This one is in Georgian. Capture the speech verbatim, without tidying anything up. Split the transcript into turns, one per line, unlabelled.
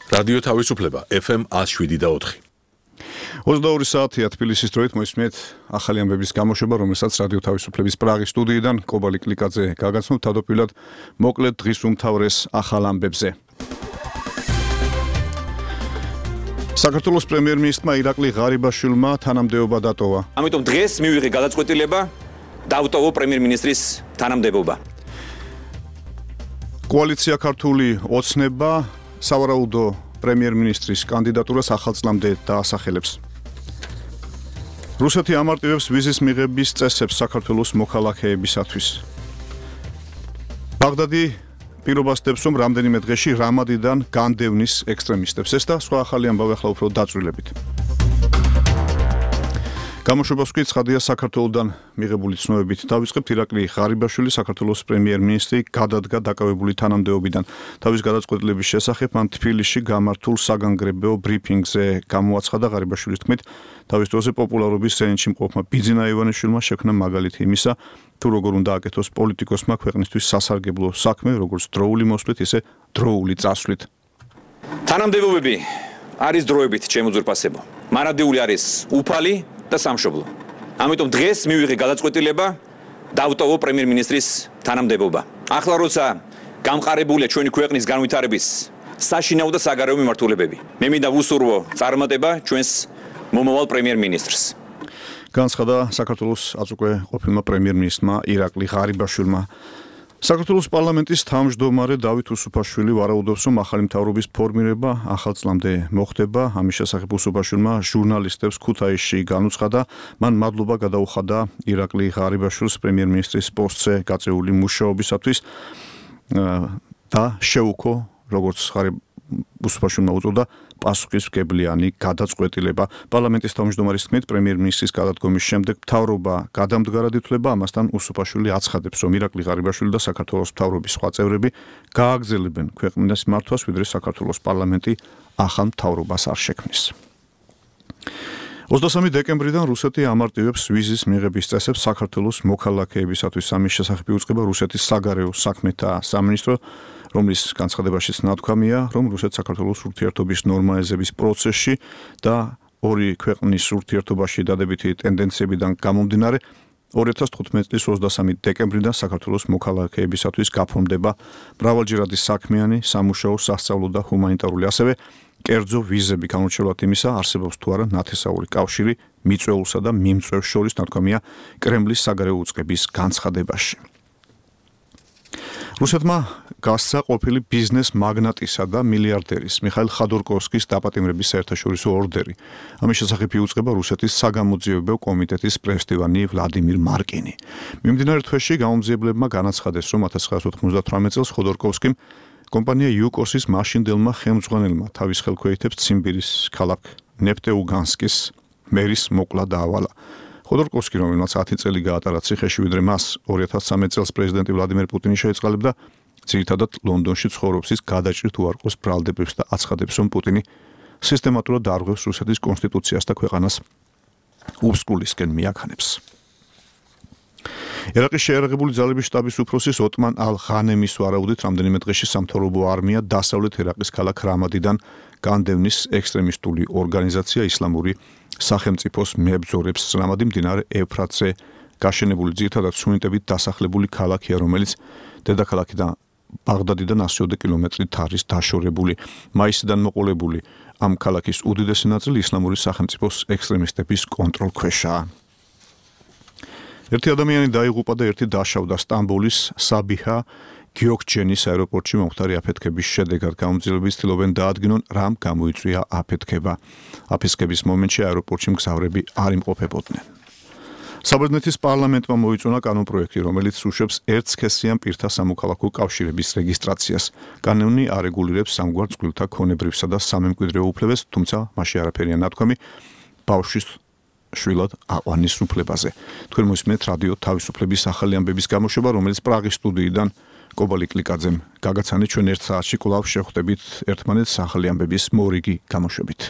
რადიო თავისუფლება ეფ ემ one oh seven და four.
ოცდაორი საათია თბილისის დროით მოისმენთ ახალი ამბების გამოშვება, რომელსაც რადიო თავისუფლების პრაღის სტუდიიდან კობალი კლიკაძე გაგაცნობთ. თავდაპირველად მოკლედ დღის უმთავრეს ახალ ამბებზე. საქართველოს პრემიერ-მინისტრმა ირაკლი ღარიბაშვილმა თანამდებობა დატოვა.
ამიტომ დღეს მივიღე გადაწყვეტილება დავტოვო პრემიერ-მინისტრის თანამდებობა.
კოალიცია ქართული ოცნება სავარაუდო პრემიერ-მინისტრის კანდიდატურას ახალ წლამდე დაასახელებს. რუსეთი ამარტივებს ვიზის მიღების წესებს საქართველოს მოქალაქეებისათვის. ბაღდადი პირობას დებს, რომ რამდენიმე დღეში რამადიდან განდევნის ექსტრემისტებს. ეს და სხვა ახალი ამბავი ახლა უფრო დაწვრილებით. გამოშვებას ვკით ცხადია საქართველოსდან მიღებული ცნობებით. დავიწყებთ. ირაკლი ღარიბაშვილი საქართველოს პრემიერ-მინისტრი გადადგა დაკავებული თანამდებობიდან. თავის გადაწყვეტილების შესახებ მან თბილისში გამართულ საგანგრებო ბრიფინგზე გამოაცხადა. ღარიბაშვილის თქმით, თავის დროზე პოპულარობის ზენიტში მყოფმა ბიძინა ივანიშვილმა შექმნა მაგალითი იმისა, თუ როგორ უნდა აკეთოს პოლიტიკოსმა ქვეყნისთვის სასარგებლო საქმე, როგორც დროული მოსვლით, ისე დროული წასვლით.
თანამდებობები არის დროებით შემოძურპასებო. მარადიული არის უფალი და სამშობლო. ამიტომ დღეს მივიღე გადაწყვეტილება დავტოვო პრემიერ-მინისტრის თანამდებობა. ახლა როცა გამყარებულია ჩვენი ქვეყნის განვითარების საშინაო და საგარეო მიმართულებები, მე მინდა ვუსურვო წარმატება ჩვენს მომავალ პრემიერ-მინისტრს.
განცხადა საქართველოს აწუკვე ყოფილმა პრემიერ-მინისტრმა ირაკლი ღარიბაშვილმა. საქართველოს პარლამენტის თავმჯდომარე დავით უსუფაშვილი ვარაუდობს, რომ ახალი მთავრობის ფორმირება ახალ წლამდე მოხდება. ამის შესახებ უსუფაშვილმა ჟურნალისტებს ქუთაისში განუცხადა. მან მადლობა გადაუხადა ირაკლი ღარიბაშვილს პრემიერ-მინისტრის პოსტზე გაწეული მუშაობისათვის და შეუქო, როგორც უსუფაშვილმა უწოდა, პასუხისმგებლიანი გადაწყვეტილება. პარლამენტის თავმჯდომარის თქმით, პრემიერ-მინისტრის გადადგომის შემდეგ მთავრობა გადამდგარად ითვლება. ამასთან უსუფაშვილი აცხადებს, რომ ირაკლი ღარიბაშვილი და საქართველოს მთავრობის სხვა წევრები გააგრძელებენ ქვეყნის მართვას, ვიდრე საქართველოს პარლამენტი ახალ მთავრობას არ შექმნის. ოცდასამი დეკემბრიდან რუსეთი ამარტივებს ვიზის მიღების წესებს საქართველოს მოქალაქეებისათვის. ამის შესახებ იუწყება რუსეთის საგარეო საქმეთა სამინისტრო, რომლის განცხადებაშიც ნათქვამია, რომ რუსეთს საქართველოს ურთიერთობის ნორმალიზების პროცესში და ორი ქვეყნის ურთიერთობაში დადებითი ტენდენციებიდან გამომდინარე ორი ათას თხუთმეტი წლის ოცდასამი დეკემბრიდან საქართველოს მოქალაქეებისათვის გაფორმდება მრავალჯერადი საქმიანი, სამუშაო, სასწავლო და ჰუმანიტარული, ასევე კერძო ვიზები. განურჩევლად იმისა, არსებობს თუ არა ნათესაური კავშირი მიწვეულსა და მიმწვევს შორის, ნათქვამია კრემლის საგარეო უწყების განცხადებაში. რუსეთმა გასცა ყოფილი ბიზნეს მაგნატისა და მილიარდერის მიხაილ ხადორკოვსკის დაპატიმრების საერთაშორისო ორდერი. ამის შესახებ იუწყება რუსეთის საგამოძიებო კომიტეტის პრესდივანი ვლადიმირ მარკინი. მიმდინარე თვეში გამომძიებლებმა განაცხადეს, რომ ათას ცხრაასი ოცდათვრამეტ წელს ხოდორკოვსკიმ კომპანია იუკოსის მაშინდელმა ხელმძღვანელმა თავის ხელქვეითებს ციმბირის ქალაქ ნეფტეუგანსკის მერის მოკლა დაავალა. ხოდორკოვსკი, რომელმაც ათი წელი გაატარა ციხეში, ვიდრე მას ორი ათას ცხრამეტ წელს პრეზიდენტი ვლადიმერ პუტინი შეეწყალებდა, ძირითადად ლონდონში ცხოვრობს. ის გადაჭრით უარყოს ბრალდებებს და აცხადებს, რომ პუტინი სისტემატურად არღვევს რუსეთის კონსტიტუციას და ქვეყანას უბსკულისკენ მიაქანებს. ერაყის შეიარაღებული ძალების შტაბის უფროსის ოტმან ალ-ღანემის ვარაუდით, რამდენიმე დღეში სამთავრობო არმია დასავლეთ ერაყის ქალაქ რამადიდან განდევნის ექსტრემისტული ორგანიზაცია ისლამური სახელმწიფოს მებრძოლებს. რამადი მდინარე ეფრატზე გაშენებული ძირითადად სუნიტებით დასახლებული ქალაქია, რომელიც დედაქალაქიდან ბაღდადიდან ასი ოცდაოთხ კილომეტრით არის დაშორებული. მაისიდან მოყოლებული ამ ქალაქის უდიდესი ნაწილი ისლამური სახელმწიფოს ექსტრემისტების კონტროლქვეშაა. ერთი ადამიანი დაიღუპა და ერთი დაშავდა სტამბოლის საბიჰა გიოქჩენის აეროპორტში მომხდარი აფეთქების შედეგად. გამომძიებელები ცდილობენ დაადგინონ, რამ გამოიწვია აფეთქება. აფეთქების მომენტში აეროპორტში მგზავრები არ იმყოფებოდნენ. საბერძნეთის პარლამენტმა მოიწონა კანონპროექტი, რომელიც უშვებს ერთსქესიან პირთა სამოქალაქო კავშირების რეგისტრაციას. კანონი არეგულირებს სამგვარ წყვილთა ქონებრივსა და სამემკვიდრეო უფლებებს, თუმცა მასში არაფერია ნათქვამი ბავშვის შვილად აყვანის უფლებაზე. თქვენ მოსმენთ რადიო თავისუფლების ახალი ამბების გამოშვება, რომელიც პრაღის სტუდიიდან კობალი კლიკაძემ გაგაცანეთ. ჩვენ ერთ საათში კვლავ შევხვდებით ერთმანეთს ახალი ამბების მორიგი გამოშვებით.